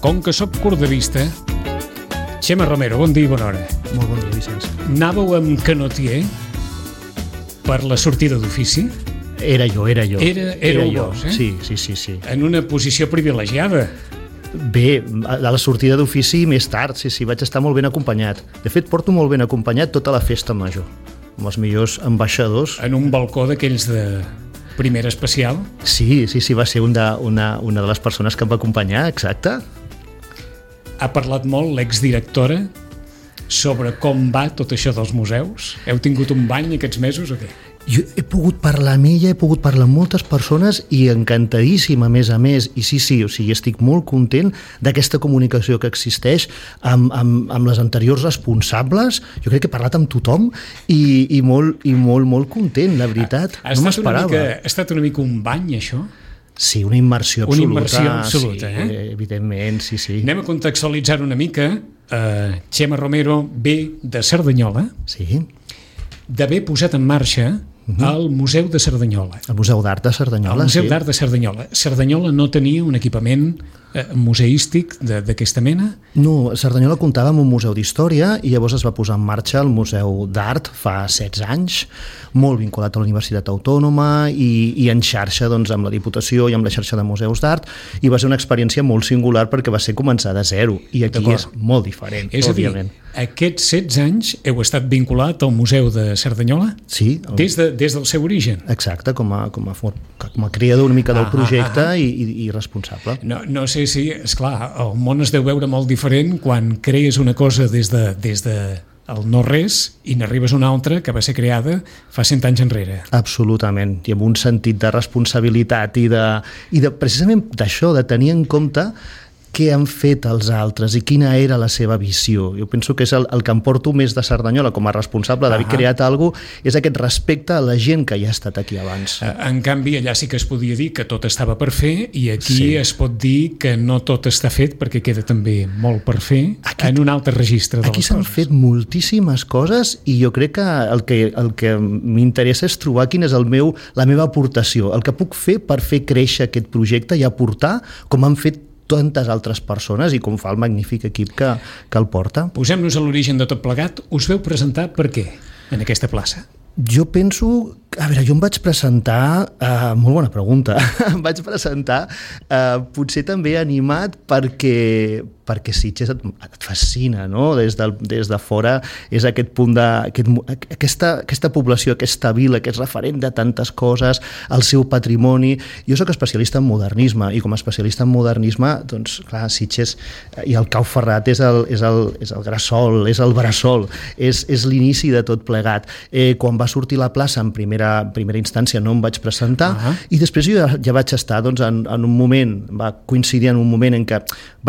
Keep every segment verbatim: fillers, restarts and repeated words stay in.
Com que sóc curt de vista, Xema Romero, bon dia i bona hora. Molt bon dia, Vicenç. Anàveu amb canotier per la sortida d'ofici? Era jo, era jo. Era, era jo. vos, eh? Sí, sí, sí, sí. En una posició privilegiada. Bé, a la sortida d'ofici més tard, sí, sí, vaig estar molt ben acompanyat. De fet, porto molt ben acompanyat tota la festa major, amb els millors ambaixadors. En un balcó d'aquells de primera especial? Sí, sí, sí, va ser un de, una, una de les persones que em va acompanyar, exacte. Ha parlat molt l'exdirectora sobre com va tot això dels museus? Heu tingut un bany aquests mesos o què? Jo he pogut parlar amb ella, he pogut parlar amb moltes persones i encantadíssim, a més a més, i sí, sí, o sigui, estic molt content d'aquesta comunicació que existeix amb, amb, amb les anteriors responsables. Jo crec que he parlat amb tothom i, i, molt, i molt, molt content, la veritat. Ha, ha no m'esperava. Mica, ha estat una mica un bany, això? Sí, una immersió absoluta. Una immersió absoluta, sí, eh? Evidentment, sí, sí. Anem a contextualitzar una mica. Uh, Xema Romero ve de Cerdanyola, sí. d'haver posat en marxa uh-huh. el Museu de Cerdanyola. El Museu d'Art de Cerdanyola, el Museu sí. d'Art de Cerdanyola. Cerdanyola no tenia un equipament eh, museístic d'aquesta mena? No, Cerdanyola comptava amb un museu d'història i llavors es va posar en marxa el Museu d'Art fa setze anys, molt vinculat a la Universitat Autònoma i, i en xarxa doncs, amb la Diputació i amb la xarxa de museus d'art, i va ser una experiència molt singular perquè va ser començar de zero i aquí és molt diferent, és òbviament. És a dir, aquests setze anys heu estat vinculat al Museu de Cerdanyola? Sí. El... Des, de, des del seu origen? Exacte, com a, com a, com a creador una mica del ah, projecte ah, ah. I, i, i responsable. No, no sé si, esclar, el món es deu veure molt diferent quan crees una cosa des de, des de el no-res i n'arribes una altra que va ser creada fa cent anys enrere. Absolutament, i amb un sentit de responsabilitat i de, i de precisament d'això, de tenir en compte què han fet els altres i quina era la seva visió. Jo penso que és el, el que em porto més de Cerdanyola com a responsable d'haver uh-huh. creat alguna cosa, és aquest respecte a la gent que ja ha estat aquí abans. En canvi, allà sí que es podia dir que tot estava per fer i aquí sí. es pot dir que no tot està fet perquè queda també molt per fer aquí, en un altre registre de les coses. Aquí s'han fet moltíssimes coses i jo crec que el que, el que m'interessa és trobar quina és el meu, la meva aportació, el que puc fer per fer créixer aquest projecte i aportar com han fet tantes altres persones i com fa el magnífic equip que, que el porta. Posem-nos a l'origen de tot plegat. Us veu presentar per què en aquesta plaça? Jo penso... A veure, jo em vaig presentar... Uh, molt bona pregunta. Em vaig presentar uh, potser també animat perquè, perquè Sitges et, et fascina, no? Des de, des de fora és aquest punt de... Aquest, aquesta, aquesta població, aquesta vila que és referent de tantes coses, el seu patrimoni. Jo sóc especialista en modernisme i com a especialista en modernisme, doncs, clar, Sitges i el Cau Ferrat és el, és el, és el Grassol, és el Bressol, és, és l'inici de tot plegat. Eh, quan va sortir la plaça en primera en primera instància no em vaig presentar uh-huh. i després jo ja, ja vaig estar doncs, en, en un moment, va coincidir en un moment en què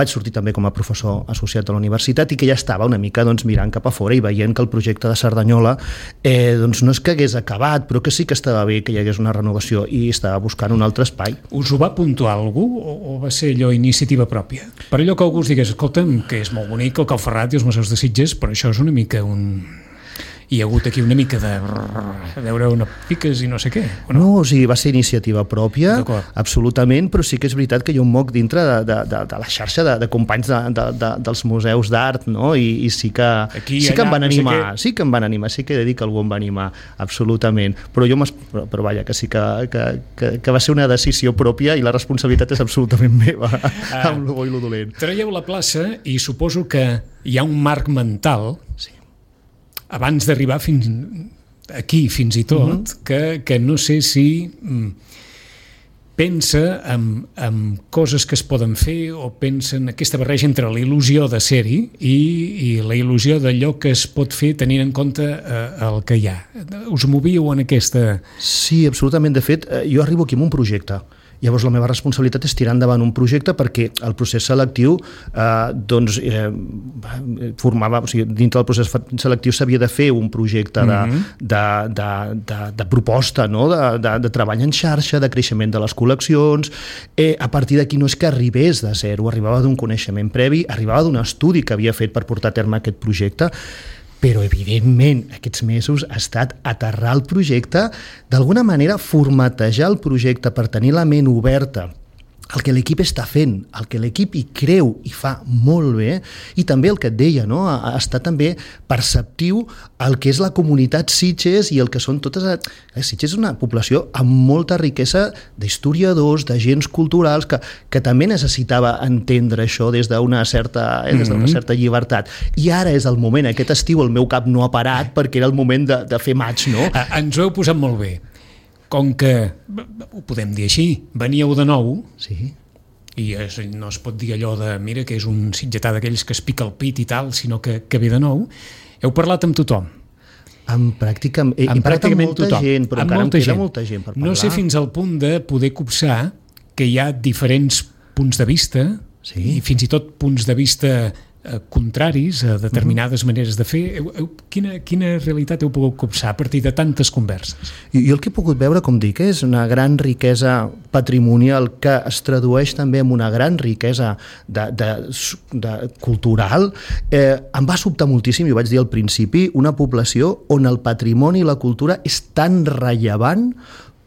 vaig sortir també com a professor associat a la universitat i que ja estava una mica doncs, mirant cap a fora i veient que el projecte de Cerdanyola eh, doncs, no és que hagués acabat però que sí que estava bé que hi hagués una renovació i estava buscant un altre espai. Us ho va puntuar algú o, o va ser allò iniciativa pròpia? Per allò que algú us digués, escolta'm, que és molt bonic el Cau Ferrat i els museus de Sitges, però això és una mica un... Hi ha hagut aquí una mica de veure una piques i no sé què, o no? No, o sigui, va ser iniciativa pròpia, absolutament, però sí que és veritat que jo em moc dintre de, de, de, de la xarxa de, de companys de, de, de, dels museus d'art, no? I, i sí que, aquí, sí que allà, em van animar, no sé sí que em van animar, sí que he de dir que algú em va animar, absolutament, però jo però, però vaja, que sí que, que, que, que va ser una decisió pròpia i la responsabilitat és absolutament meva, ah, amb lo bo i lo dolent. Traieu la plaça i suposo que hi ha un marc mental, sí, abans d'arribar fins aquí, fins i tot, uh-huh. que, que no sé si mm, pensa en, en coses que es poden fer o pensa en aquesta barreja entre la il·lusió de ser-hi i, i la il·lusió d'allò que es pot fer tenint en compte eh, el que hi ha. Us movíeu en aquesta... Sí, absolutament. De fet, jo arribo aquí amb un projecte. Llavors la meva responsabilitat és tirar endavant un projecte perquè el procés selectiu eh, doncs, eh, formava, o sigui, dintre del procés selectiu s'havia de fer un projecte de, mm-hmm. de, de, de, de proposta, no? de, de, de treball en xarxa, de creixement de les col·leccions. Eh, a partir d'aquí no és que arribés de zero, arribava d'un coneixement previ, arribava d'un estudi que havia fet per portar a terme aquest projecte, però evidentment aquests mesos ha estat aterrar el projecte, d'alguna manera formatejar el projecte per tenir la ment oberta el que l'equip està fent, el que l'equip hi creu i fa molt bé, i també el que et deia, no? Està també perceptiu el que és la comunitat Sitges i el que són totes... Eh, Sitges és una població amb molta riquesa d'historiadors, d'agents culturals, que, que també necessitava entendre això des d'una certa, eh, des d'una certa llibertat. I ara és el moment, aquest estiu el meu cap no ha parat perquè era el moment de, de fer maig, no? Ens ho heu posat molt bé. Com que, ho podem dir així, veníeu de nou, sí. I es, no es pot dir allò de, mira, que és un sitgetà d'aquells que es pica el pit i tal, sinó que, que ve de nou, heu parlat amb tothom. Amb pràcticament, he, amb he parlat amb molta tothom. gent, però amb encara molta em queda gent. molta gent per parlar. No sé fins al punt de poder copsar que hi ha diferents punts de vista, sí. I fins i tot punts de vista eh, contraris a determinades uh-huh. maneres de fer. Heu, heu, quina, quina realitat heu pogut copsar a partir de tantes converses? Jo, jo el que he pogut veure, com dic, és una gran riquesa patrimonial que es tradueix també en una gran riquesa de, de, de cultural. Eh, em va sobtar moltíssim, i ho vaig dir al principi, una població on el patrimoni i la cultura és tan rellevant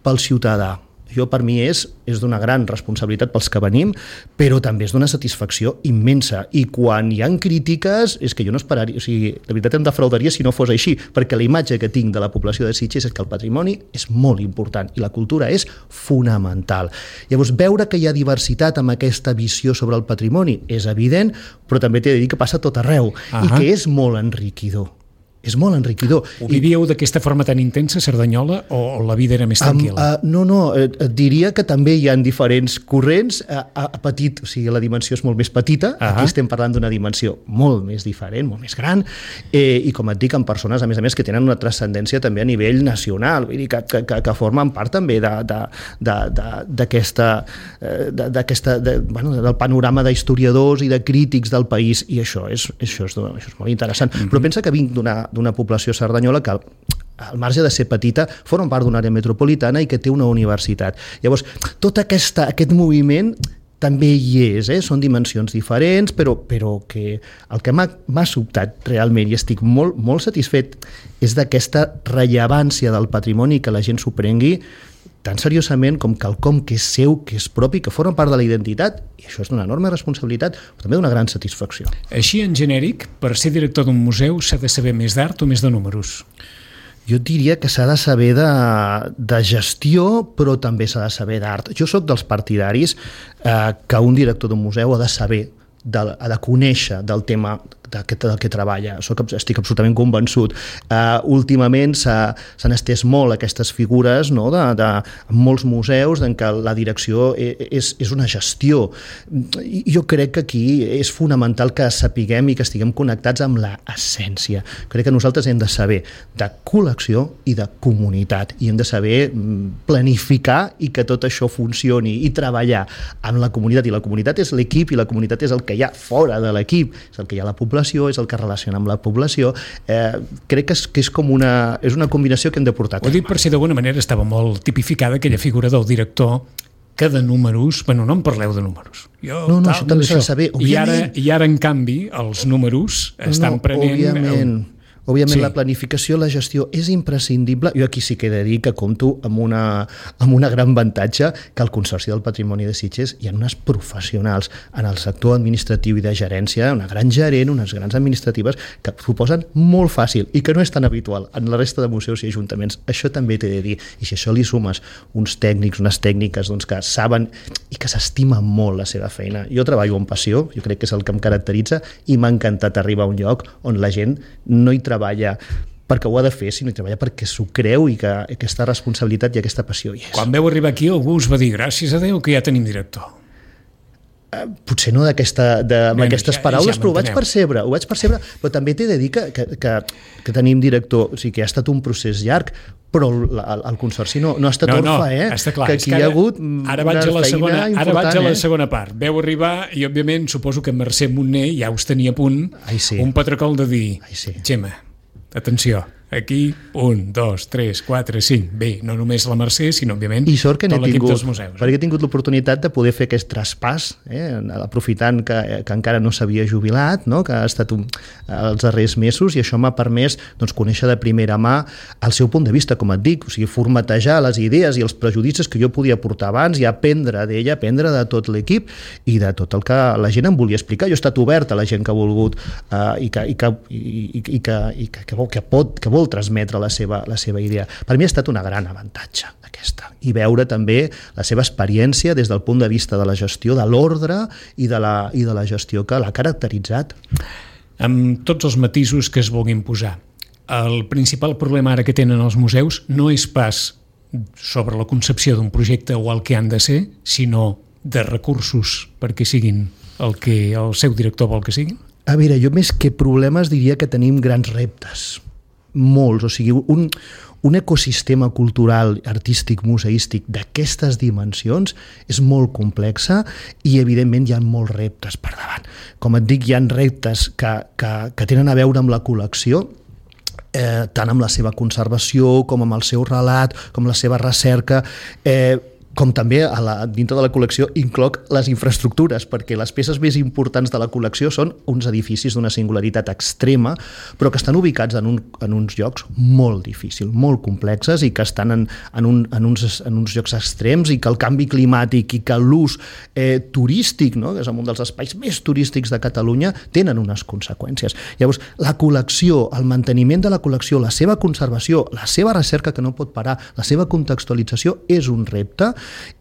pel ciutadà. Jo, per mi, és, és d'una gran responsabilitat pels que venim, però també és d'una satisfacció immensa. I quan hi ha crítiques, és que jo no esperaria... O sigui, de veritat em defraudaria si no fos així, perquè la imatge que tinc de la població de Sitges és que el patrimoni és molt important i la cultura és fonamental. Llavors, veure que hi ha diversitat amb aquesta visió sobre el patrimoni és evident, però també t'he de dir que passa a tot arreu. Uh-huh. I que és molt enriquidor. És molt enriquidor. Ho vivíeu d'aquesta forma tan intensa, Cerdanyola, o la vida era més tranquil·la? Um, uh, no, no, et diria que també hi ha diferents corrents. A, a, a petit, o sigui, la dimensió és molt més petita, uh-huh. Aquí estem parlant d'una dimensió molt més diferent, molt més gran, eh, i com et dic, amb persones, a més a més, que tenen una transcendència també a nivell nacional, vull dir, que, que, que, que formen part també d'aquesta, de, de, de, bueno, del panorama d'historiadors i de crítics del país, i això és, això és, això és molt interessant. Uh-huh. Però pensa que vinc d'una d'una població cerdanyola que al marge de ser petita, forma part d'una àrea metropolitana i que té una universitat. Llavors, tot aquesta, aquest moviment també hi és, eh? Són dimensions diferents, però, però que el que m'ha sobtat realment, i estic molt, molt satisfet, és d'aquesta rellevància del patrimoni, que la gent s'ho prengui tan seriosament com quelcom que és seu, que és propi, que forma part de la identitat, i això és d'una enorme responsabilitat, però també d'una gran satisfacció. Així, en genèric, per ser director d'un museu s'ha de saber més d'art o més de números? Jo diria que s'ha de saber de, de gestió, però també s'ha de saber d'art. Jo sóc dels partidaris eh, que un director d'un museu ha de saber, de, ha de conèixer del tema del que treballa. Soc, estic absolutament convençut. Uh, últimament s'han estès molt aquestes figures, no? de, de, en molts museus en què la direcció és, és una gestió. I jo crec que aquí és fonamental que sapiguem i que estiguem connectats amb l'essència. Crec que nosaltres hem de saber de col·lecció i de comunitat, i hem de saber planificar i que tot això funcioni i treballar amb la comunitat, i la comunitat és l'equip i la comunitat és el que hi ha fora de l'equip, és el que hi ha a la població, és el que relaciona amb la població. Eh, crec que és, que és com una, és una combinació que hem de portar. Ho dic per si d'alguna manera estava molt tipificada aquella figura del director que de números, bueno, no em parleu de números. Jo, no, no, tal, això també s'ha de saber. I ara, I ara, en canvi, els números estan no, prenent... Òbviament. Òbviament, sí. La planificació, la gestió és imprescindible. Jo aquí sí que he de dir que compto amb, una, amb una gran avantatge, que al Consorci del Patrimoni de Sitges hi ha unes professionals en el sector administratiu i de gerència, una gran gerent, unes grans administratives, que s'ho posen molt fàcil i que no és tan habitual en la resta de museus i ajuntaments. Això també t'he de dir. I si això li sumes uns tècnics, unes tècniques doncs, que saben i que s'estimen molt la seva feina. Jo treballo amb passió, jo crec que és el que em caracteritza, i m'ha encantat arribar a un lloc on la gent no hi treballa perquè ho ha de fer, sinó hi treballa perquè s'ho creu i que aquesta responsabilitat i aquesta passió hi és. Quan veu arribar aquí algú us va dir gràcies a Déu que ja tenim director. Uh, potser no d'aquesta, de, amb Bé, aquestes ja, paraules, ja però ho vaig percebre, ho vaig percebre, però també t'he de dir que, que, que, que tenim director, o sigui que ha estat un procés llarg, però el, el Consorci no, no ha estat no, orfa, eh? No, està clar. Que aquí que ara, hi ha hagut ara vaig a la segona, ara vaig a la eh? segona part. Veu arribar i, òbviament, suposo que Mercè Montner ja us tenia a punt Ai, sí. un patracol de dir Ai, sí. Gemma, atenció, aquí, un, dos, tres, quatre, cinc. Bé, no només la Mercè, sinó, òbviament, I sort que tot l'equip tingut, dels museus. perquè he tingut l'oportunitat de poder fer aquest traspàs, eh, aprofitant que, que encara no s'havia jubilat, no? Que ha estat un, els darrers mesos, i això m'ha permès doncs, conèixer de primera mà el seu punt de vista, com et dic, o sigui, formatejar les idees i els prejudicis que jo podia portar abans i aprendre d'ella, aprendre de tot l'equip i de tot el que la gent em volia explicar. Jo he estat obert a la gent que ha volgut eh, i, que, i, que, i, i, i, que, i que, que, vol, que, pot, que vol transmetre la seva, la seva idea. Per mi ha estat una gran avantatge aquesta, i veure també la seva experiència des del punt de vista de la gestió, de l'ordre i, de la, i de la gestió que l'ha caracteritzat. Amb tots els matisos que es vulguin posar, el principal problema ara que tenen els museus no és pas sobre la concepció d'un projecte o el que han de ser, sinó de recursos perquè siguin el que el seu director vol que siguin? A veure, jo més que problemes diria que tenim grans reptes, molts, o sigui, un, un ecosistema cultural, artístic, museístic d'aquestes dimensions és molt complexa i evidentment hi ha molts reptes per davant. Com et dic, hi ha reptes que, que, que tenen a veure amb la col·lecció, eh, tant amb la seva conservació com amb el seu relat, com la seva recerca, eh, com també a la, dintre de la col·lecció incloc les infraestructures, perquè les peces més importants de la col·lecció són uns edificis d'una singularitat extrema, però que estan ubicats en, un, en uns llocs molt difícils, molt complexes i que estan en, en, un, en, uns, en uns llocs extrems, i que el canvi climàtic i que l'ús eh, turístic, no? Que és un dels espais més turístics de Catalunya, tenen unes conseqüències. Llavors, la col·lecció, el manteniment de la col·lecció, la seva conservació, la seva recerca que no pot parar, la seva contextualització és un repte.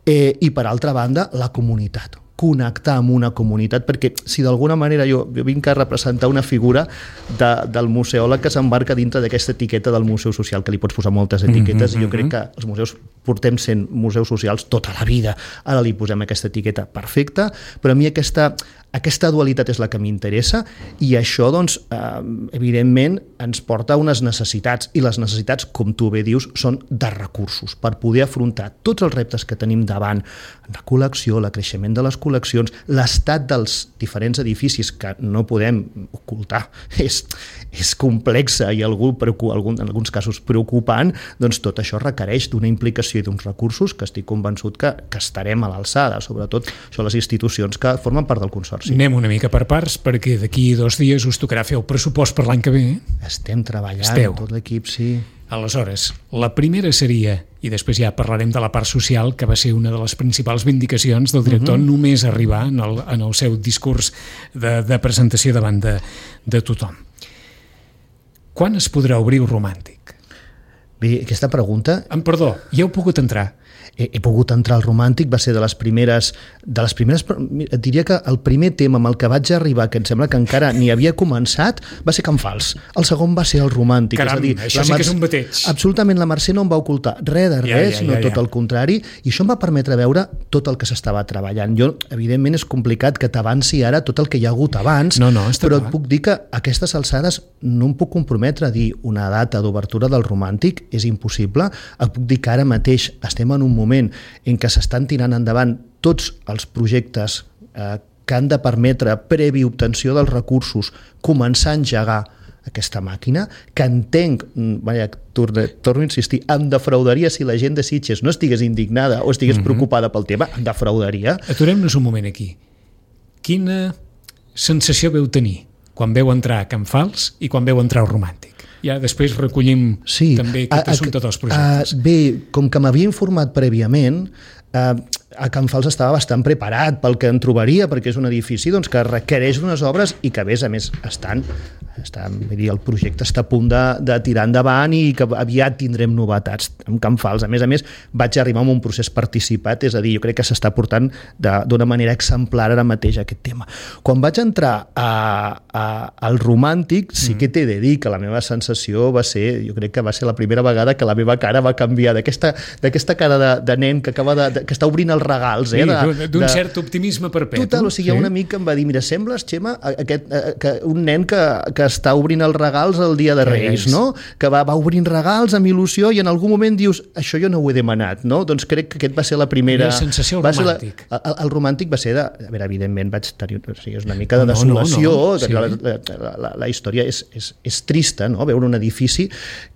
Eh, i per altra banda, la comunitat, connectar amb una comunitat, perquè si d'alguna manera jo, jo vinc a representar una figura de, del museòleg que s'embarca dintre d'aquesta etiqueta del museu social, que li pots posar moltes etiquetes, mm-hmm. i jo crec que els museus portem sent museus socials tota la vida, ara li posem aquesta etiqueta perfecta, però a mi aquesta, aquesta dualitat és la que m'interessa, i això doncs eh, evidentment ens porta a unes necessitats, i les necessitats, com tu bé dius, són de recursos per poder afrontar tots els reptes que tenim davant, la col·lecció, el creixement de les col·leccions, l'estat dels diferents edificis que no podem ocultar, és, és complexa i algú, algun, en alguns casos preocupant, doncs tot això requereix d'una implicació i d'uns recursos que estic convençut que, que estarem a l'alçada, sobretot això les institucions que formen part del consorci. Anem una mica per parts, perquè d'aquí dos dies us tocarà fer el pressupost per l'any que ve. Estem treballant, Esteu. Tot l'equip, sí. Aleshores, la primera seria, i després ja parlarem de la part social, que va ser una de les principals vindicacions del director, uh-huh. només arribar en el, en el seu discurs de, de presentació davant de, de tothom. Quan es podrà obrir el Romàntic? Bé, aquesta pregunta... Em perdó, ja heu pogut entrar. He, he pogut entrar al Romàntic, va ser de les primeres... De les primeres et diria que el primer tema amb el que vaig arribar, que em sembla que encara ni havia començat, va ser Can Fals. El segon va ser el Romàntic. Caram, és a dir, això sí Mercè, que és un bateig. Absolutament, la Mercè no em va ocultar res de res, ja, ja, sinó ja, ja. tot el contrari, i això em va permetre veure tot el que s'estava treballant. Jo, evidentment, és complicat que t'avanci ara tot el que hi ha hagut abans, no, no, però clar. Et puc dir que a aquestes alçades no em puc comprometre a dir una data d'obertura del Romàntic, és impossible. Et puc dir que ara mateix estem en un moment en què s'estan tirant endavant tots els projectes eh, que han de permetre, previ obtenció dels recursos, començar a engegar aquesta màquina, que entenc, vaja, torno, torno a insistir, em defraudaria si la gent de Sitges no estigués indignada o estigués mm-hmm. preocupada pel tema, em defraudaria. Aturem-nos un moment aquí. Quina sensació veu tenir quan veu entrar a Can Fals i quan veu entrar al Romàntic? Ja després recollim sí, també aquest a, assumpte a, dels projectes. A, bé, com que m'havia informat prèviament, a, a Can Fals estava bastant preparat pel que en trobaria, perquè és un edifici doncs, que requereix unes obres i que, a més a més, estan, estan vull dir, el projecte està a punt de, de tirar endavant i que aviat tindrem novetats amb Can Fals. A més a més, vaig arribar amb un procés participat, és a dir, jo crec que s'està portant d'una manera exemplar ara mateix aquest tema. Quan vaig entrar a, a, al Romàntic, sí que t'he de dir que la meva sensació va ser, jo crec que va ser la primera vegada que la meva cara va canviar d'aquesta d'aquesta cara de, de nen que acaba de, de que està obrint els regals, eh? Sí, d'un cert optimisme perpetu. Total, o sigui, sí. Un amic em va dir, mira, sembles, Xema, aquest, que un nen que, que que està obrint els regals el dia de Reis, no? Que va, va obrint regals amb il·lusió i en algun moment dius, això jo no ho he demanat, no? Doncs crec que aquest va ser la primera... La sensació romàntic. La, el, el romàntic va ser de... A veure, evidentment vaig tenir... O sigui, és una mica de desolació, no, no, no. Sí. La, la, la, la història és, és, és trista, no? Veure un edifici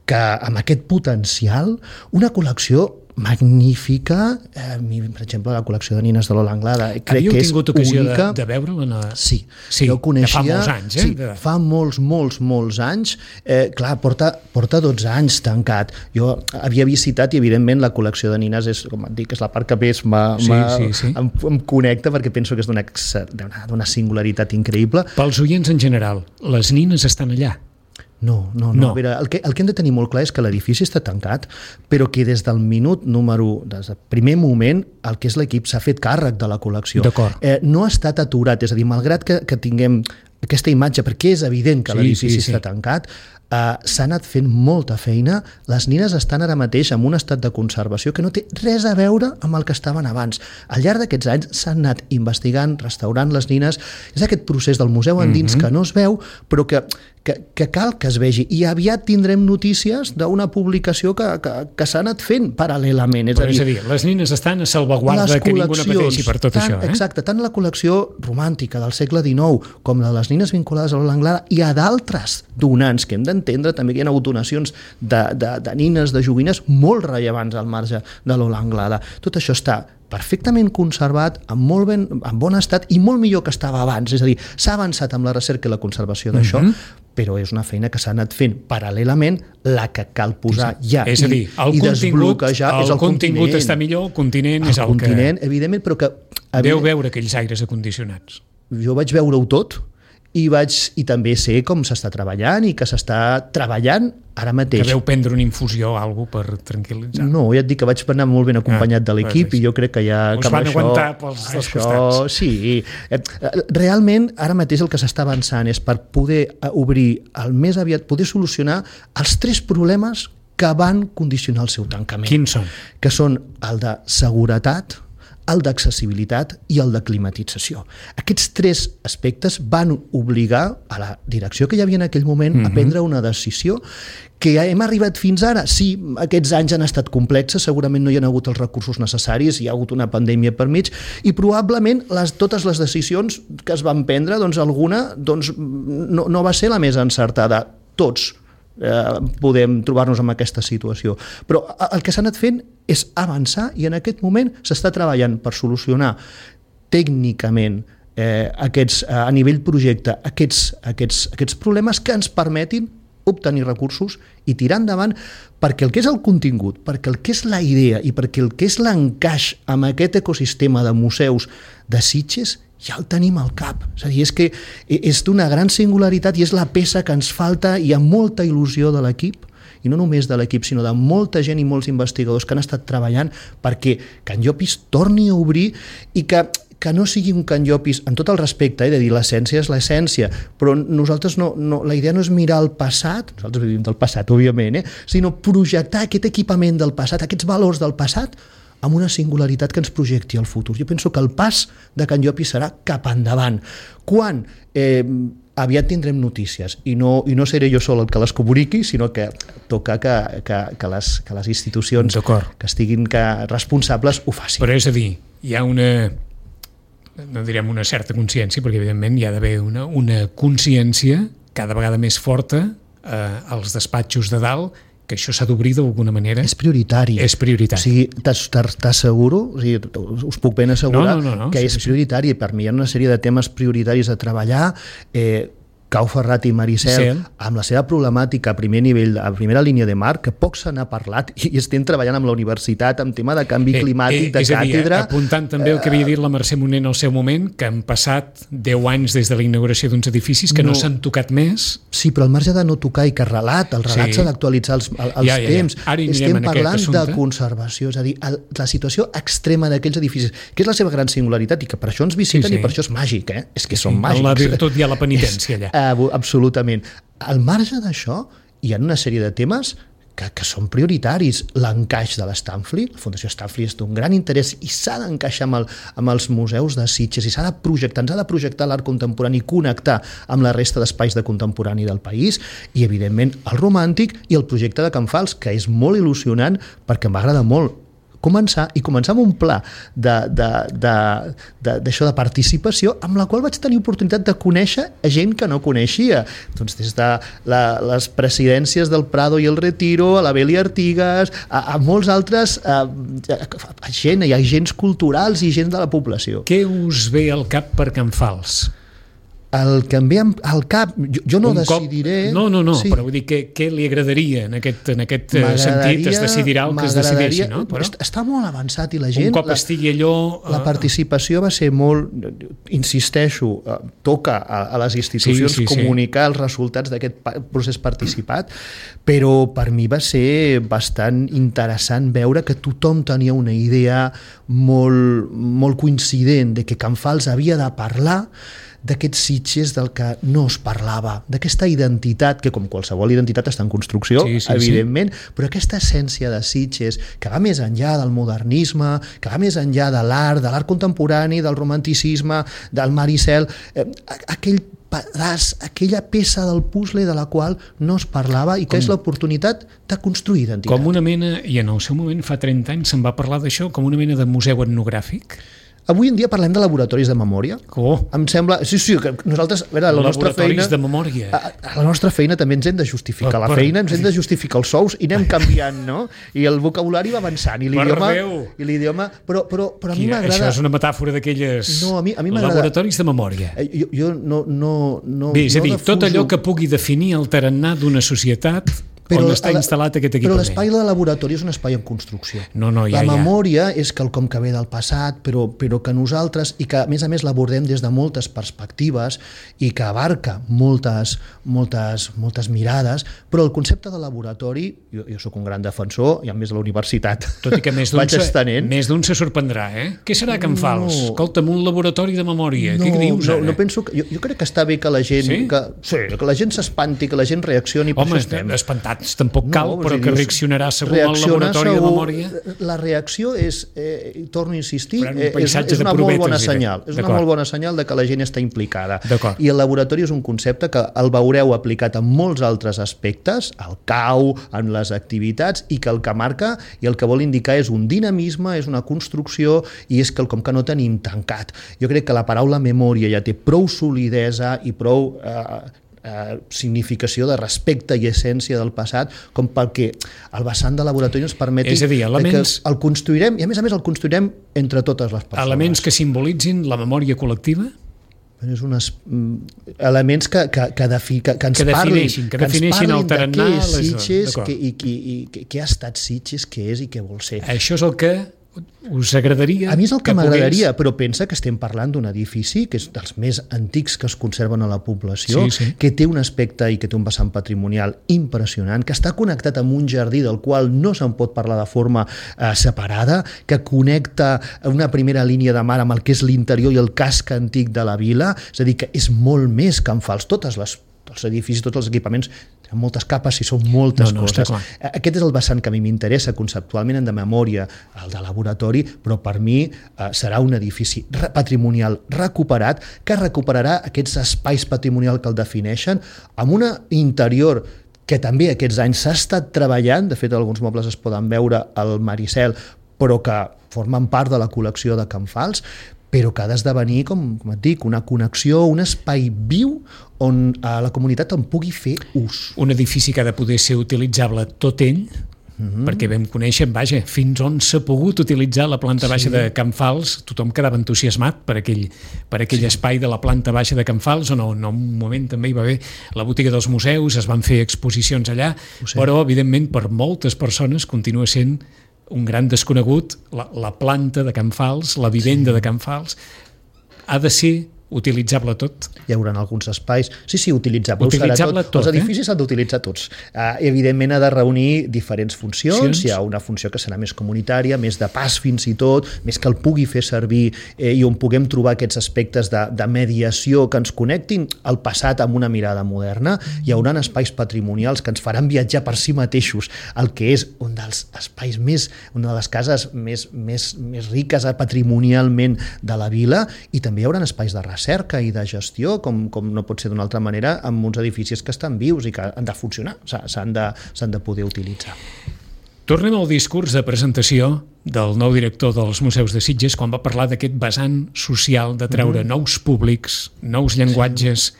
que amb aquest potencial, una col·lecció magnífica, eh, per exemple la col·lecció de nines de Lola Anglada, crec Havíeu que és tingut ocasió única. de, de veure-la? La... Sí, sí, jo coneixia... fa molts anys, eh? Sí, de... fa molts, molts, molts anys. Eh, clar, porta, porta dotze anys tancat. Jo havia visitat i evidentment la col·lecció de nines és, com et dic, és la part que més m'ha, sí, m'ha, sí, sí. Em, em connecta perquè penso que és d'una, d'una singularitat increïble. Pels oients en general, les nines estan allà? No, no, no. no. A veure, el, que, el que hem de tenir molt clar és que l'edifici està tancat, però que des del minut número, des del primer moment, el que és l'equip s'ha fet càrrec de la col·lecció. D'acord. Eh, no ha estat aturat, és a dir, malgrat que, que tinguem aquesta imatge, perquè és evident que sí, l'edifici sí, sí. està tancat, Uh, s'ha anat fent molta feina. Les nines estan ara mateix en un estat de conservació que no té res a veure amb el que estaven abans. Al llarg d'aquests anys s'han anat investigant, restaurant les nines. És aquest procés del museu endins mm-hmm. que no es veu, però que, que, que cal que es vegi. I aviat tindrem notícies d'una publicació que, que, que s'ha anat fent paral·lelament. És, però a dir, és a dir, les nines estan a salvaguarda que ningú no pateixi per tot tant, això. Eh? Exacte, tant la col·lecció romàntica del segle dinou com la de les nines vinculades a Lola Anglada i a d'altres donants que hem d'entendre també que hi ha hagut donacions de, de, de nines, de joguines molt rellevants al marge de Lola Anglada. Tot això està perfectament conservat, en molt ben, en bon estat i molt millor que estava abans. És a dir, s'ha avançat amb la recerca i la conservació d'això, mm-hmm. però és una feina que s'ha anat fent paral·lelament, la que cal posar ja és a dir, el i, i desbloquejar el és el contingut. contingut està millor, el continent el és el continent, que... evidentment, però que... Deu veure aquells aires acondicionats. Jo vaig veure-ho tot, i, vaig, i també sé com s'està treballant i que s'està treballant ara mateix. Que veu prendre una infusió o alguna cosa per tranquil·litzar? No, ja et dic que vaig anar molt ben acompanyat ah, de l'equip i jo crec que ja... Us que van això, aguantar pels dos això, costats. Sí. Realment, ara mateix el que s'està avançant és per poder obrir el més aviat, poder solucionar els tres problemes que van condicionar el seu tancament. Quins són? Que són el de seguretat, el d'accessibilitat i el de climatització. Aquests tres aspectes van obligar a la direcció que hi havia en aquell moment mm-hmm. a prendre una decisió que hem arribat fins ara. Sí, aquests anys han estat complexes, segurament no hi ha hagut els recursos necessaris, hi ha hagut una pandèmia per mig, i probablement les, totes les decisions que es van prendre, doncs alguna doncs, no, no va ser la més encertada. Tots eh, podem trobar-nos en aquesta situació. Però el que s'ha anat fent és avançar i en aquest moment s'està treballant per solucionar tècnicament eh, aquests, a nivell projecte aquests, aquests, aquests problemes que ens permetin obtenir recursos i tirar endavant perquè el que és el contingut, perquè el que és la idea i perquè el que és l'encaix amb aquest ecosistema de museus de Sitges ja el tenim al cap. És a dir, és que és d'una gran singularitat i és la peça que ens falta i amb molta il·lusió de l'equip, i no només de l'equip, sinó de molta gent i molts investigadors que han estat treballant perquè Can Llopis torni a obrir i que, que no sigui un Can Llopis, en tot el respecte, eh, de dir l'essència és l'essència, però nosaltres no, no, la idea no és mirar el passat, nosaltres vivim del passat, òbviament, eh, sinó projectar aquest equipament del passat, aquests valors del passat, amb una singularitat que ens projecti al futur. Jo penso que el pas de Can Llopis serà cap endavant. Quan eh, aviat tindrem notícies i no, i no seré jo sol el que les comuniqui, sinó que toca que, que, que, les, que les institucions que estiguin que responsables ho facin. Però és a dir, hi ha una, no direm una certa consciència, perquè evidentment hi ha d'haver una, una consciència cada vegada més forta eh, als despatxos de dalt que això s'ha d'obrir d'alguna manera. És prioritari. És prioritari. O sigui, t'asseguro, o sigui, us puc ben assegurar no, no, no, no, que sí, és sí. prioritari. Per mi hi ha una sèrie de temes prioritaris a treballar. Eh, Cau Ferrat i Maricel, sí. amb la seva problemàtica a primer nivell, a primera línia de mar, que poc se n'ha parlat, i estem treballant amb la universitat amb tema de canvi eh, climàtic, eh, de és càtedra... És a dir, apuntant també el que havia dit la Mercè Moner en el seu moment, que han passat deu anys des de la inauguració d'uns edificis que no, no s'han tocat més. Sí, però al marge de no tocar i que relat, el relat s'ha sí. d'actualitzar els, els ja, ja, ja. temps. Estem parlant de conservació, és a dir, el, la situació extrema d'aquells edificis, que és la seva gran singularitat i que per això ens visiten sí, sí. i per això és màgic, eh? És que sí, són sí. màgics. En la virtut hi ha la penitència allà. Absolutament. Al marge d'això, hi ha una sèrie de temes que, que són prioritaris. L'encaix de l'Stanfli, la Fundació Stanfli és d'un gran interès i s'ha d'encaixar amb, el, amb els museus de Sitges i s'ha de projectar, ens ha de projectar l'art contemporani i connectar amb la resta d'espais de contemporani del país i, evidentment, el romàntic i el projecte de Can Fals, que és molt il·lusionant perquè em va agradar molt començar i començar amb un pla d'això de, de, de, de participació amb la qual vaig tenir oportunitat de conèixer a gent que no coneixia. Doncs des de la, les presidències del Prado i el Retiro, a la Beli Artigas, a, a molts altres a, a, a gent, hi ha agents culturals i gent de la població. Què us ve al cap per Can Fals? El que em ve al cap, jo, jo no un decidiré... Cop, no, no, no, sí. Però vull dir, què, què li agradaria en aquest, en aquest sentit? Es decidirà el que es decideixi, no? Però... Està molt avançat i la gent... Un cop la, estigui allò... La participació va ser molt... Insisteixo, toca a, a les institucions sí, sí, comunicar sí. els resultats d'aquest procés participat, però per mi va ser bastant interessant veure que tothom tenia una idea molt, molt coincident de que Can Fals havia de parlar d'aquests Sitges del que no es parlava, d'aquesta identitat, que com qualsevol identitat està en construcció, sí, sí, evidentment, sí. Però aquesta essència de Sitges, que va més enllà del modernisme, que va més enllà de l'art, de l'art contemporani, del romanticisme, del mar i cel, eh, aquell pedaç, aquella peça del puzzle de la qual no es parlava i que com, és l'oportunitat de construir identitat. Com una mena, i en el seu moment, fa trenta anys, se'n va parlar d'això, com una mena de museu etnogràfic? Avui en dia parlem de laboratoris de memòria. Oh. Em sembla... Sí, sí, que nosaltres... A veure, la nostra feina... de memòria. A, a la nostra feina també ens hem de justificar. Per, la feina ens hem de justificar els sous i anem canviant, no? I el vocabulari va avançant. I l'idioma... I l'idioma... Però, però, però a mi m'agrada... Això és una metàfora d'aquelles... No, a mi, a mi laboratoris de memòria. Jo, jo no... no, no Bé, és a dir, no defuso... tot allò que pugui definir el tarannà d'una societat... Però on està instal·lat aquest equipament. Però l'espai de laboratori és un espai en construcció. No, no, ja, la memòria ja. És quelcom que ve del passat, però, però que nosaltres, i que a més a més l'abordem des de moltes perspectives i que abarca moltes, moltes, moltes mirades, però el concepte de laboratori, jo, jo sóc un gran defensor, i a més a la universitat tot i que més d'un se, més d'un se sorprendrà, eh? Què serà Can Fals? No. Escolta'm, un laboratori de memòria, no, què dius no, ara? No penso que, jo, jo crec que està bé que la gent sí? Que, sí, que la gent s'espanti, que la gent reaccioni. Home, espantat tampoc cal, no, però que reaccionarà segur al laboratori segur, de memòria. La reacció és, eh, torno a insistir, eh, és, és una molt bona senyal. És una molt bona senyal de que la gent està implicada. I el laboratori és un concepte que el veureu aplicat en molts altres aspectes, al C A U, en les activitats, i que el que marca i el que vol indicar és un dinamisme, és una construcció i és quelcom que no tenim tancat. Jo crec que la paraula memòria ja té prou solidesa i prou... Eh, Eh, significació de respecte i essència del passat com perquè el vessant de laboratori ens permeti és a dir, elements... que el construirem i a més a més el construirem entre totes les persones. Elements que simbolitzin la memòria col·lectiva? És unes, elements que, que, que, defi, que, que ens que defineixin, parlin, que defineixin el tarannà de què és Sitges que, i, i, i què ha estat Sitges, què és i què vol ser. Això és el que us agradaria? A mi és el que, que m'agradaria, pogués... però pensa que estem parlant d'un edifici que és dels més antics que es conserven a la població, sí, sí. que té un aspecte i que té un vessant patrimonial impressionant, que està connectat amb un jardí del qual no se'n pot parlar de forma eh, separada, que connecta una primera línia de mar amb el que és l'interior i el casc antic de la vila, és a dir, que és molt més que en Fals. Totes les els edificis, tots els equipaments tenen moltes capes i són moltes no, no, coses. Aquest és el vessant que a mi m'interessa conceptualment, en de memòria, el de laboratori, però per mi eh, serà un edifici patrimonial recuperat que recuperarà aquests espais patrimonials que el defineixen amb una interior que també aquests anys s'ha estat treballant, de fet alguns mobles es poden veure al Maricel, però que formen part de la col·lecció de Can Fals, però que ha d'esdevenir, com, com et dic, una connexió, un espai viu on eh, la comunitat en pugui fer ús. Un edifici que ha de poder ser utilitzable tot ell, mm-hmm. perquè vam conèixer, vaja, fins on s'ha pogut utilitzar la planta baixa sí. de Can Fals, tothom quedava entusiasmat per aquell, per aquell sí. espai de la planta baixa de Can Fals, on en un moment també hi va haver la botiga dels museus, es van fer exposicions allà, però evidentment per moltes persones continua sent un gran desconegut, la, la planta de Can Fals, la vivenda sí. de Can Fals, ha de ser utilitzable tot? Hi haurà alguns espais... Sí, sí, utilitzable. Utilitzable tot, tot, Els edificis s'han eh? d'utilitzar tots. Uh, evidentment ha de reunir diferents funcions. Funcions. Hi ha una funció que serà més comunitària, més de pas fins i tot, més que el pugui fer servir eh, i on puguem trobar aquests aspectes de, de mediació que ens connectin al passat amb una mirada moderna. Hi haurà espais patrimonials que ens faran viatjar per si mateixos, el que és un dels espais més, una de les cases més, més, més riques patrimonialment de la vila, i també hi haurà espais de recerca i de gestió, com, com no pot ser d'una altra manera, amb uns edificis que estan vius i que han de funcionar, s'han de, s'han de poder utilitzar. Tornem al discurs de presentació del nou director dels Museus de Sitges quan va parlar d'aquest vessant social de treure mm. nous públics, nous llenguatges.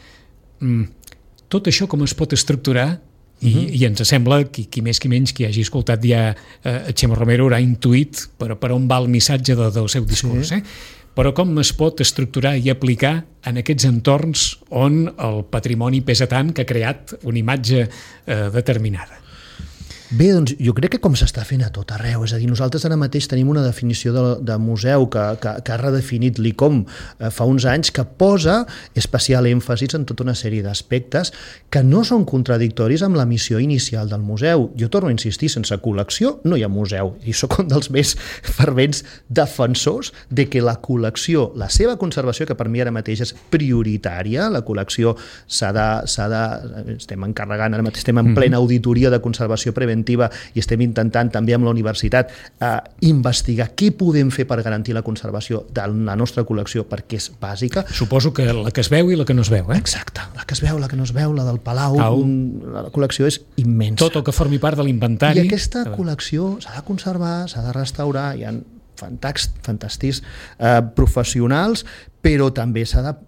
Sí. Tot això com es pot estructurar? I, mm-hmm. i ens sembla que qui més qui menys qui hagi escoltat ja eh, Xema Romero haurà intuït per, per on va el missatge de, del seu discurs. Sí. Eh? Però com es pot estructurar i aplicar en aquests entorns on el patrimoni pesa tant que ha creat una imatge eh, determinada? Bé, doncs jo crec que com s'està fent a tot arreu, és a dir, nosaltres ara mateix tenim una definició de, de museu que, que, que ha redefinit l'I C O M eh, fa uns anys, que posa especial èmfasis en tota una sèrie d'aspectes que no són contradictoris amb la missió inicial del museu. Jo torno a insistir, sense col·lecció no hi ha museu, i sóc un dels més fervents defensors de que la col·lecció, la seva conservació, que per mi ara mateix és prioritària, la col·lecció s'ha de, s'ha de estem encarregant, ara mateix estem en plena auditoria de conservació preventiva i estem intentant també amb la universitat eh, investigar què podem fer per garantir la conservació de la nostra col·lecció, perquè és bàsica. Suposo que la que es veu i la que no es veu, eh? Exacte, la que es veu, la que no es veu, la del Palau, un, la col·lecció és immensa. Tot el que formi part de l'inventari. I aquesta col·lecció s'ha de conservar, s'ha de restaurar, hi ha fantàstics eh, professionals, però també s'ha de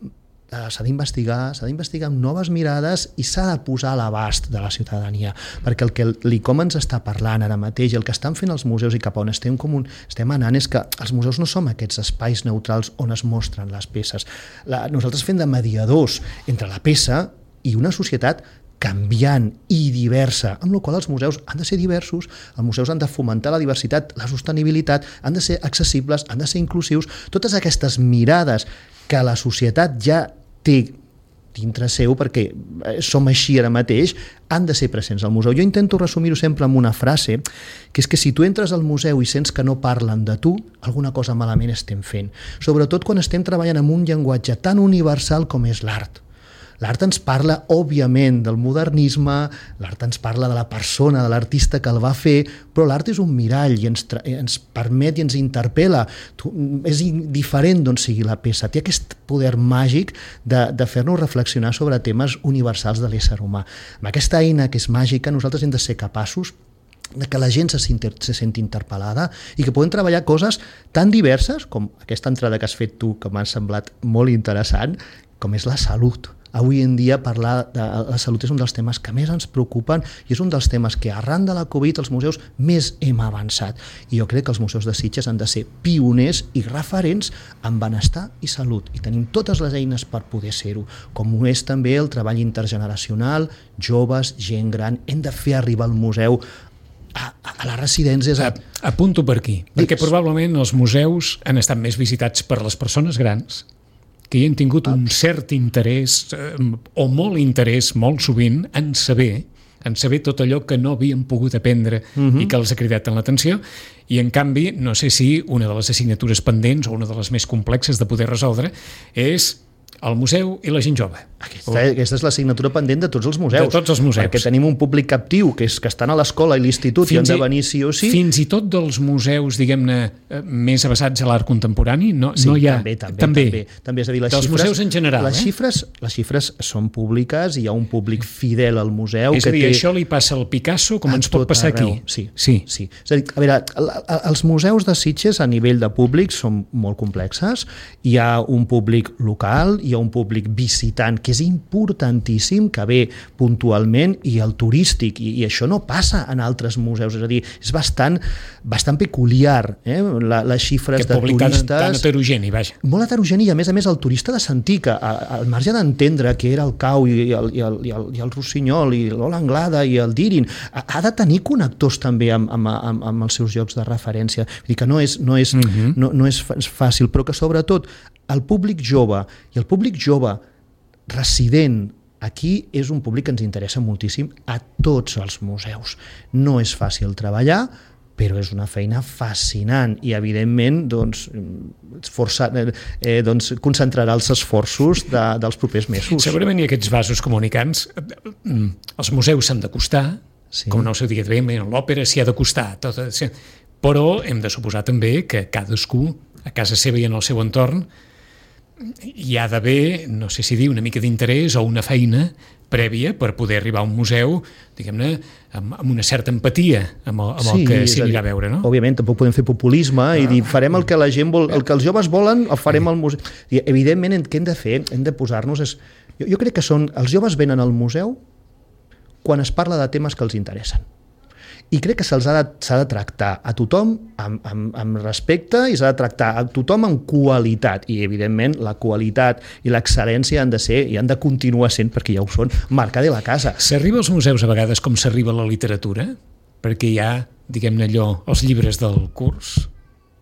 s'ha d'investigar, s'ha d'investigar amb noves mirades i s'ha de posar a l'abast de la ciutadania, perquè el que l'I C O M ens està parlant ara mateix, el que estan fent els museus i cap a on estem, com un, estem anant, és que els museus no som aquests espais neutrals on es mostren les peces. La, nosaltres fem de mediadors entre la peça i una societat canviant i diversa, amb la qual els museus han de ser diversos, els museus han de fomentar la diversitat, la sostenibilitat, han de ser accessibles, han de ser inclusius, totes aquestes mirades que la societat ja té dintre seu, perquè som així ara mateix, han de ser presents al museu. Jo intento resumir-ho sempre amb una frase, que és que si tu entres al museu i sents que no parlen de tu, alguna cosa malament estem fent. Sobretot quan estem treballant amb un llenguatge tan universal com és l'art. L'art ens parla, òbviament, del modernisme, l'art ens parla de la persona, de l'artista que el va fer, però l'art és un mirall i ens, ens permet i ens interpel·la. Tu, és indiferent d'on sigui la peça. Té aquest poder màgic de, de fer-nos reflexionar sobre temes universals de l'ésser humà. Amb aquesta eina que és màgica, nosaltres hem de ser capaços de que la gent se, se senti interpel·lada i que podem treballar coses tan diverses com aquesta entrada que has fet tu, que m'ha semblat molt interessant, com és la salut. Avui en dia parlar de la salut és un dels temes que més ens preocupen i és un dels temes que arran de la Covid els museus més hem avançat. I jo crec que els museus de Sitges han de ser pioners i referents en benestar i salut. I tenim totes les eines per poder ser-ho, com ho és també el treball intergeneracional, joves, gent gran. Hem de fer arribar al museu a, a les residències. A... Apunto per aquí, Digues. perquè probablement els museus han estat més visitats per les persones grans, que hi han tingut un cert interès, eh, o molt interès, molt sovint, en saber, en saber tot allò que no havien pogut aprendre uh-huh. i que els ha cridat en l'atenció, i en canvi, no sé si una de les assignatures pendents o una de les més complexes de poder resoldre és el museu i la gent jove. Aquesta, aquesta és l'assignatura pendent de tots els museus. De tots els museus. Perquè tenim un públic captiu, que és que estan a l'escola i l'institut i han de venir sí o sí. Fins i tot dels museus, diguem-ne, més avasats a l'art contemporani, no, sí, no hi ha... també, també. també. també. també és a dir, les dels xifres, museus en general. Les, eh? xifres, les xifres són públiques i hi ha un públic fidel al museu. És a dir, que té... això li passa al Picasso com ens pot passar arreu. Aquí. Sí, sí. sí. És a dir, a veure, els museus de Sitges a nivell de públic són molt complexes. Hi ha un públic local, hi ha un públic visitant, que és importantíssim, que ve puntualment, i el turístic, i, i això no passa en altres museus, és a dir, és bastant, bastant peculiar, eh? La, les xifres de turistes... Tan heterogeni, vaja. Molt heterogeni, i a més a més el turista de sentir que, al marge d'entendre que era el Cau i el, i el, i el, i el Rossinyol i l'Ola Anglada i el Dirin, ha de tenir connectors també amb, amb, amb, amb els seus llocs de referència. Vull dir que no és, no és, uh-huh. no, no és fàcil, però que sobretot el públic jove i el públic jove resident aquí és un públic que ens interessa moltíssim a tots els museus. No és fàcil treballar, però és una feina fascinant i, evidentment, doncs, força, eh, doncs concentrarà els esforços de, dels propers mesos. Segurament hi ha aquests vasos comunicants. Els museus s'han d'acostar, sí. Com no ho sé dir bé, l'òpera s'hi ha d'acostar, tot, però hem de suposar també que cadascú, a casa seva i en el seu entorn, hi ha d'haver, no sé si dir, una mica d'interès o una feina prèvia per poder arribar a un museu, diguem-ne, amb, amb una certa empatia amb el, amb sí, el que s'hi anirà a veure, no? Òbviament, tampoc podem fer populisme ah, i dir, farem el que la gent vol, el que els joves volen, el farem al museu. I, evidentment, què hem de fer? Hem de posar-nos... És, jo, jo crec que són... Els joves venen al museu quan es parla de temes que els interessen. I crec que se'ls ha de, s'ha de tractar a tothom amb, amb, amb respecte i s'ha de tractar a tothom amb qualitat. I, evidentment, la qualitat i l'excel·lència han de ser i han de continuar sent, perquè ja ho són, marca de la casa. S'arriba als museus a vegades com s'arriba a la literatura? Perquè hi ha, diguem-ne allò, els llibres del curs...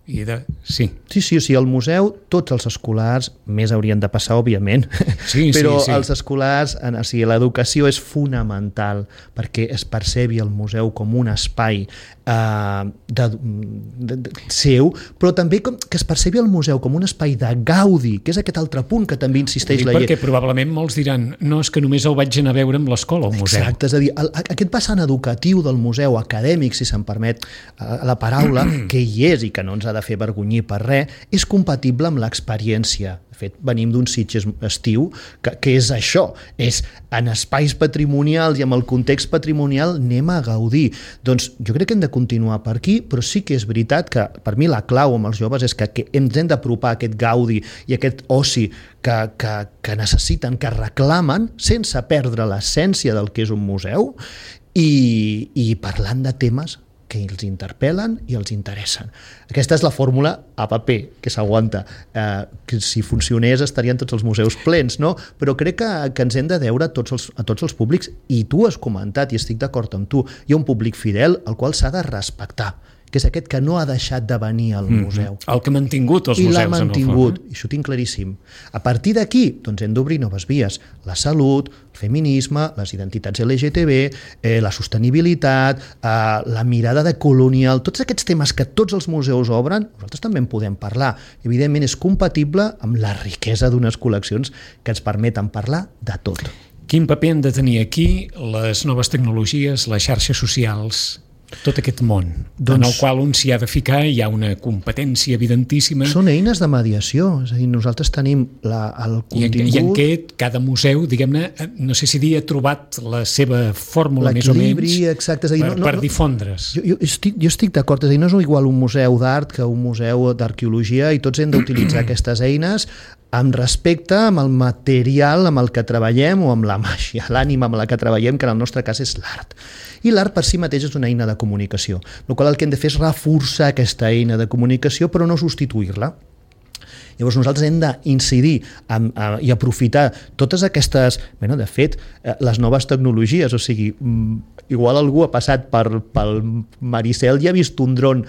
I de... Sí. Sí, sí, sí, al museu tots els escolars, més haurien de passar, òbviament, sí, però sí, sí. Els escolars, o sigui, l'educació és fonamental perquè es percebi el museu com un espai eh, de, de, de, seu, però també com, que es percebi el museu com un espai de gaudi, que és aquest altre punt que també insisteix la llei. Perquè probablement molts diran, no, és que només el vaig anar a veure amb l'escola, al museu. Exacte, és a dir, el, aquest vessant educatiu del museu, acadèmic, si se'n permet la paraula, que hi és i que no ens ha de fer vergonyir per res, és compatible amb l'experiència. De fet, venim d'un Sitges estiu que, que és això, és en espais patrimonials i amb el context patrimonial anem a gaudir. Doncs jo crec que hem de continuar per aquí, però sí que és veritat que per mi la clau amb els joves és que, que ens hem d'apropar a aquest gaudi i aquest oci que, que, que necessiten, que reclamen, sense perdre l'essència del que és un museu i, i parlant de temes que els interpel·len i els interessen. Aquesta és la fórmula a paper, que s'aguanta. Eh, que si funcionés estarien tots els museus plens, no? Però crec que, que ens hem de deure a tots, els, a tots els públics, i tu has comentat, i estic d'acord amb tu, hi ha un públic fidel al qual s'ha de respectar, que és aquest que no ha deixat de venir al museu. Mm-hmm. El que ha mantingut els I museus. I l'ha mantingut, i això ho tinc claríssim. A partir d'aquí, doncs hem d'obrir noves vies. La salut, el feminisme, les identitats L G T B, eh, la sostenibilitat, eh, la mirada de colonial, tots aquests temes que tots els museus obren, nosaltres també en podem parlar. Evidentment és compatible amb la riquesa d'unes col·leccions que ens permeten parlar de tot. Quin paper han de tenir aquí les noves tecnologies, les xarxes socials, tot aquest món, doncs, en el qual un s'hi ha de ficar, hi ha una competència evidentíssima. Són eines de mediació, és a dir, nosaltres tenim la, el contingut... I en, i en què cada museu, diguem-ne, no sé si dir, ha trobat la seva fórmula més o menys exacte, és a dir, per, no, no, per difondre's. Jo, jo estic, jo estic d'acord, és a dir, no és igual un museu d'art que un museu d'arqueologia i tots hem d'utilitzar aquestes eines amb respecte amb el material amb el que treballem o amb la màgia, l'ànima amb la que treballem, que en el nostre cas és l'art. I l'art per si mateix és una eina de comunicació, el qual el que hem de fer és reforçar aquesta eina de comunicació però no substituir-la. Llavors nosaltres hem d'incidir en, en, i aprofitar totes aquestes... Bueno, de fet, les noves tecnologies, o sigui, igual algú ha passat per, pel Maricel i ha vist un dron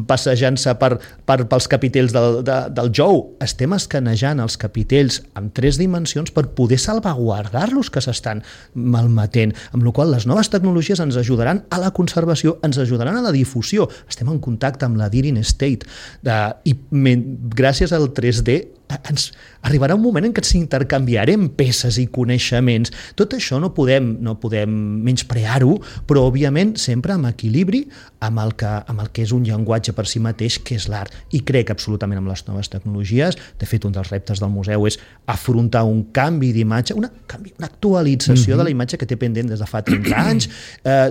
passejant-se per, per, pels capitells del, de, del Jou. Estem escanejant els capitells en tres dimensions per poder salvaguardar-los que s'estan malmetent, amb la qual les noves tecnologies ens ajudaran a la conservació, ens ajudaran a la difusió. Estem en contacte amb la Deering State de, i men, gràcies al tres D ens arribarà un moment en què ens intercanviarem peces i coneixements. Tot això no podem, no podem menysprear-ho, però òbviament sempre amb equilibri amb el, que, amb el que és un llenguatge per si mateix, que és l'art. I crec absolutament amb les noves tecnologies. De fet, un dels reptes del museu és afrontar un canvi d'imatge, una, canvi, una actualització mm-hmm. de la imatge que té pendent des de fa trenta anys. Eh,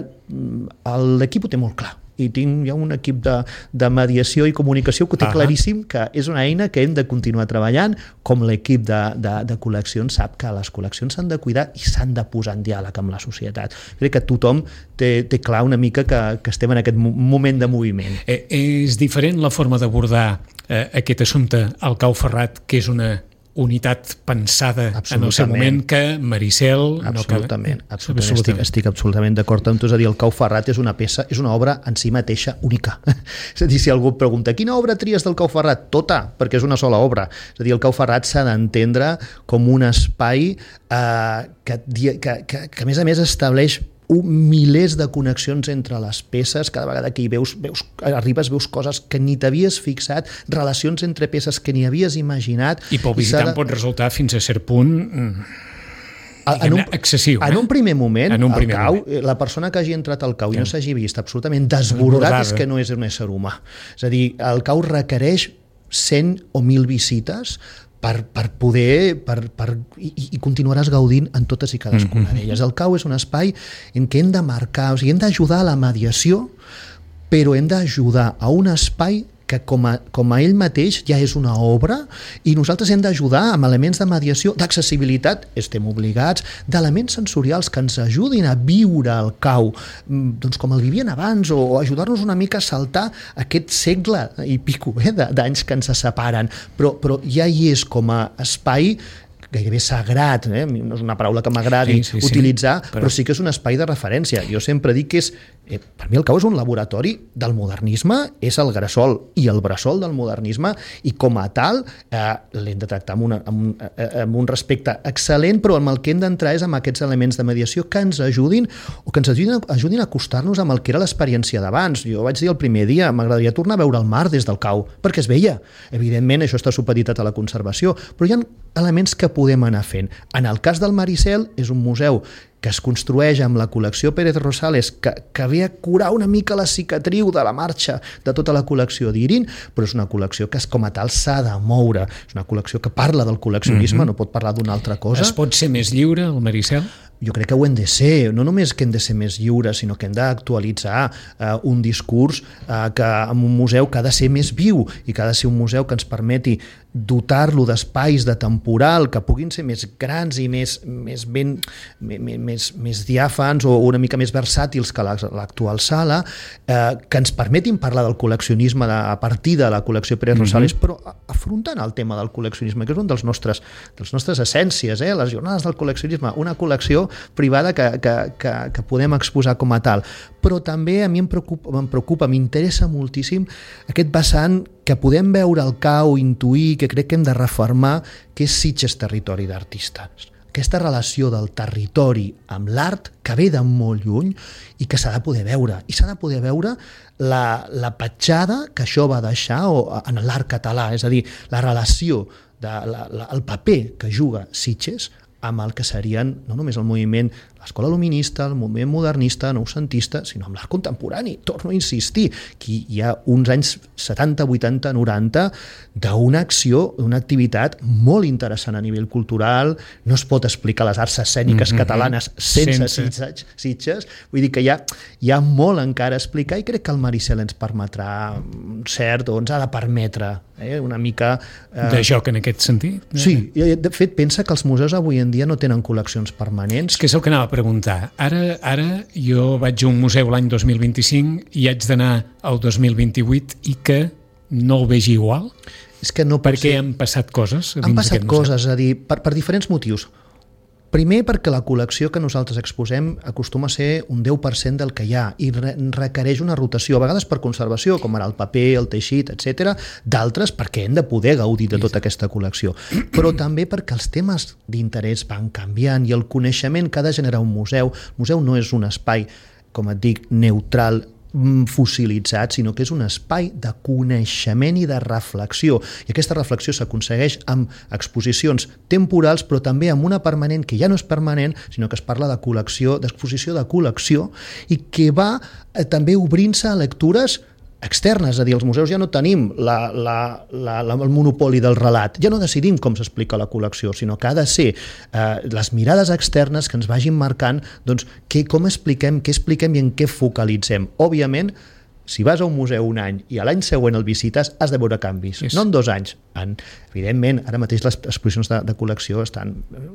l'equip ho té molt clar. I tinc ja un equip de, de mediació i comunicació que té claríssim que és una eina que hem de continuar treballant, com l'equip de, de, de col·leccions sap que les col·leccions s'han de cuidar i s'han de posar en diàleg amb la societat. Crec que tothom té, té clar una mica que, que estem en aquest moment de moviment. Eh, és diferent la forma d'abordar eh, aquest assumpte al Cau Ferrat, que és una unitat pensada en el seu moment que Maricel... Absolutament, no cal... absolutament. Estic, estic absolutament d'acord amb tu. És a dir, el Cau Ferrat és una peça, és una obra en si mateixa única. És a dir, si algú et pregunta quina obra tries del Cau Ferrat? Tota, perquè és una sola obra. És a dir, el Cau Ferrat s'ha d'entendre com un espai eh, que, que, que, que a més a més estableix un milers de connexions entre les peces, cada vegada que hi veus, veus arribes, veus coses que ni t'havies fixat, relacions entre peces que ni havies imaginat. I pel visitant de... pot resultar fins a cert punt en un, excessiu. En eh? un primer moment, en un primer el cau, moment. La persona que hagi entrat al cau i no s'hagi vist absolutament desbordat és que no és un ésser humà. És a dir, el cau requereix cent o mil visites Per, per poder per, per, i, i continuaràs gaudint en totes i cadascuna mm-hmm. d'elles. El cau és un espai en què hem de marcar, o sigui, hem d'ajudar a la mediació, però hem d'ajudar a un espai que com a, com a ell mateix ja és una obra i nosaltres hem d'ajudar amb elements de mediació, d'accessibilitat, estem obligats, d'elements sensorials que ens ajudin a viure el cau, doncs com el vivien abans, o ajudar-nos una mica a saltar aquest segle i pico eh, d'anys que ens separen, però, però ja hi és com a espai gairebé sagrat, eh? No és una paraula que m'agradi sí, sí, utilitzar, sí, però... però sí que és un espai de referència. Jo sempre dic que és, eh, per mi el cau és un laboratori del modernisme, és el gresol i el bressol del modernisme, i com a tal eh, l'hem de tractar amb, una, amb, un, eh, amb un respecte excel·lent, però amb el que hem d'entrar és amb aquests elements de mediació que ens ajudin o que ens ajudin, ajudin a acostar-nos amb el que era l'experiència d'abans. Jo vaig dir el primer dia, m'agradaria tornar a veure el mar des del cau, perquè es veia. Evidentment, això està supeditat a la conservació, però hi ha elements que podem anar fent. En el cas del Maricel, és un museu que es construeix amb la col·lecció Pérez Rosales, que, que ve a curar una mica la cicatriu de la marxa de tota la col·lecció d'Irin, però és una col·lecció que com a tal s'ha de moure. És una col·lecció que parla del col·leccionisme, mm-hmm. no pot parlar d'una altra cosa. Es pot ser més lliure, el Maricel? Jo crec que ho hem de ser, no només que hem de ser més lliures, sinó que hem d'actualitzar eh, un discurs eh, que amb un museu que ha de ser més viu i que ha de ser un museu que ens permeti dotar-lo d'espais de temporal que puguin ser més grans i més, més, ben, més, més, més diàfans o una mica més versàtils que l'actual sala, eh, que ens permetin parlar del col·leccionisme de, a partir de la col·lecció Pérez Rosales, mm-hmm. però afrontant el tema del col·leccionisme, que és un dels nostres, dels nostres essències, eh? Les jornades del col·leccionisme, una col·lecció privada que, que, que, que podem exposar com a tal. Però també a mi em preocupa, em preocupa, m'interessa moltíssim aquest vessant que podem veure al cau, intuir, que crec que hem de refermar, que és Sitges territori d'artistes. Aquesta relació del territori amb l'art que ve de molt lluny i que s'ha de poder veure. I s'ha de poder veure la, la petjada que això va deixar o, en l'art català, és a dir, la relació, de, la, la, el paper que juga Sitges amb el que serien no només el moviment, l'escola luminista, el moviment modernista, noucentista, sinó amb l'art contemporani. Torno a insistir, que hi ha uns anys setanta, vuitanta, noranta d'una acció, d'una activitat molt interessant a nivell cultural. No es pot explicar les arts escèniques mm-hmm. catalanes sense, sense. Sitges, Sitges. Vull dir que hi ha, hi ha molt encara a explicar i crec que el Maricel ens permetrà cert, o ens ha de permetre eh, una mica... Eh... de joc en aquest sentit. Sí, de fet pensa que els museus avui en dia no tenen col·leccions permanents. És que és el que anava a preguntar. Ara, ara jo vaig a un museu l'any dos mil vint-i-cinc i haig d'anar al dos mil vint-i-vuit i que no el vegi igual? És que no perquè ser... han passat coses? Han passat coses, és a dir, per, per diferents motius. Primer, perquè la col·lecció que nosaltres exposem acostuma a ser un deu per cent del que hi ha i re requereix una rotació, a vegades per conservació, com ara el paper, el teixit, etcètera, d'altres perquè hem de poder gaudir de tota aquesta col·lecció. Però també perquè els temes d'interès van canviant i el coneixement que ha de generar un museu. El museu no és un espai, com et dic, neutral, fossilitzat, sinó que és un espai de coneixement i de reflexió. I aquesta reflexió s'aconsegueix amb exposicions temporals, però també amb una permanent que ja no és permanent, sinó que es parla de col·lecció, d'exposició de col·lecció, i que va eh, també obrint-se a lectures externes, és a dir, els museus ja no tenim la, la, la, la, el monopoli del relat, ja no decidim com s'explica la col·lecció, sinó que ha de ser eh, les mirades externes que ens vagin marcant doncs, que, com expliquem, què expliquem i en què focalitzem. Òbviament, si vas a un museu un any i a l'any següent el visites, has de veure canvis, yes. No en dos anys. En, evidentment, ara mateix les exposicions de, de col·lecció estan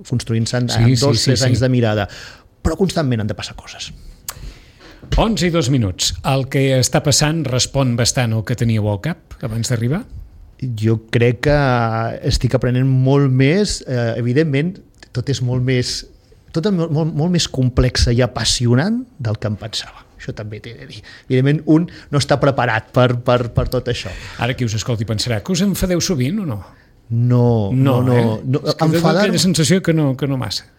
construint-se en, sí, en dos, sí, tres sí, anys sí. de mirada, però constantment han de passar coses. onze i dos minuts. El que està passant respon bastant al que teníeu al cap abans d'arribar? Jo crec que estic aprenent molt més, eh, evidentment, tot és molt més, tot és molt, molt, molt més complex i apassionant del que em pensava. Això també t'he de dir. Evidentment, un no està preparat per, per, per tot això. Ara qui us escolti pensarà que us enfadeu sovint o no? No, no, no. eh? no. És que Enfadar... aquella sensació que no, que no massa.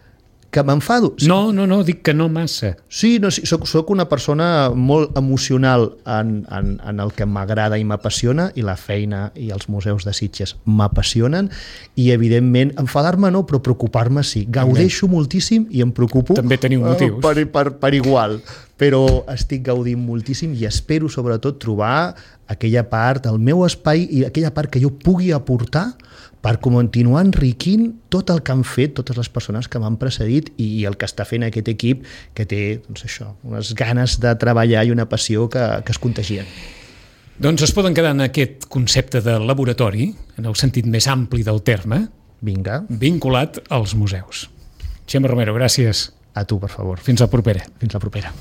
Que m'enfado? Sí. No, no, no, dic que no massa. Sí, no, sí soc, soc una persona molt emocional en, en, en el que m'agrada i m'apassiona, i la feina i els museus de Sitges m'apassionen, i evidentment enfadar-me no, però preocupar-me sí. Gaudeixo També. moltíssim i em preocupo. També teniu motius. Per, per, per igual, però estic gaudint moltíssim i espero sobretot trobar aquella part, el meu espai i aquella part que jo pugui aportar per continuar enriquint tot el que han fet totes les persones que m'han precedit i el que està fent aquest equip que té, doncs això, unes ganes de treballar i una passió que, que es contagien. Doncs es poden quedar en aquest concepte de laboratori, en el sentit més ampli del terme, Vinga. vinculat als museus. Xema Romero, gràcies. A tu, per favor. Fins la propera. Fins la propera.